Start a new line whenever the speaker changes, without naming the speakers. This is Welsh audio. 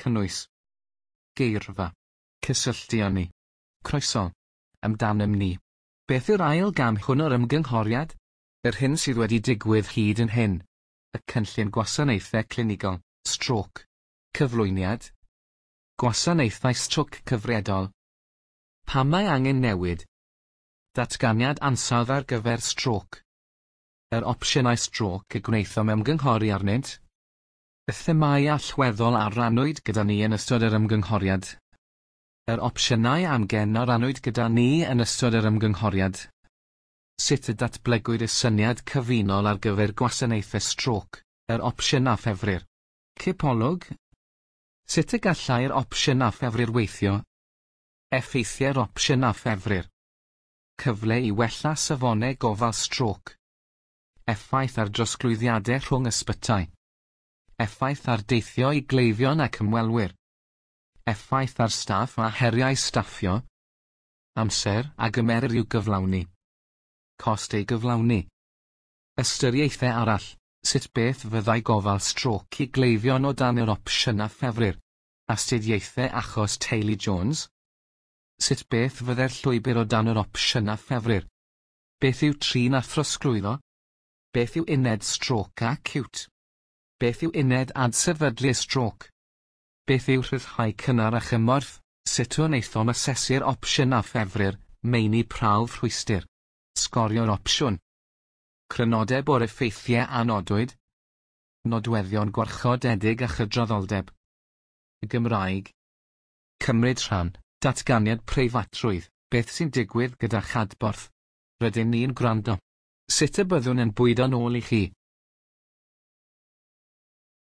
Cynnwys. Geirfa. Cysylltu â ni. Croeso. Amdanom ni. Beth yw'r ail gam hwn o'r ymgynghoriad? Yr hyn sydd wedi digwydd hyd yn hyn. Y cynllun gwasanaethau clinigol, strôc. Cyflwyniad. Gwasanaethau strôc cyfredol. Pam mae angen newid? Datganiad ansawdd ar gyfer strôc. Yr opsiynau strôc y gwnaethom ymgynghori arnynt. Y themâu allweddol a rannwyd gyda ni yn ystod yr ymgynghoriad. Yr opsiynau amgen a rannwyd gyda ni yn ystod yr ymgynghoriad. Sut y datblygwyd y syniad cyfunol ar gyfer gwasanaethau strôc, yr opsiwn a ffefrir. Cipolwg. Sut y gallai'r opsiwn a ffefrir weithio? Effeithiau'r opsiwn a ffefrir. Cyfle i wella safonau gofal strôc. Effaith ar drosglwyddiadau rhwng ysbytai. Effaith ar deithio i gleifion ac ymwelwyr. Effaith ar staff a heriau staffio. Amser a gymerir i'w gyflawni. Cost ei gyflawni. Ystyriaethau arall, sut beth fyddai gofal strôc i gleifion o dan yr opsiwn a ffefrir? Astudiaethau achos teulu Jones? Sut beth fyddai'r llwybr o dan yr opsiwn a ffefrir? Beth yw trin a throsglwyddo? Beth yw uned strôc acíwt? Beth yw uned adsefydlu strôc? Beth yw rhyddhau cynnar a chymorth? Sut wnaethom asesu'r opsiwn a ffefrir, meini prawf rhwystr? Sgorio'r opsiwn. Crynodeb o'r effeithiau a nodwyd. Nodweddion gwarchodedig a chydraddoldeb. Y Gymraeg. Cymryd rhan, datganiad preifatrwydd, beth sy'n digwydd gyda'ch adborth? Rydyn ni'n gwrando. Sut y byddwn yn bwydo'n ôl i chi?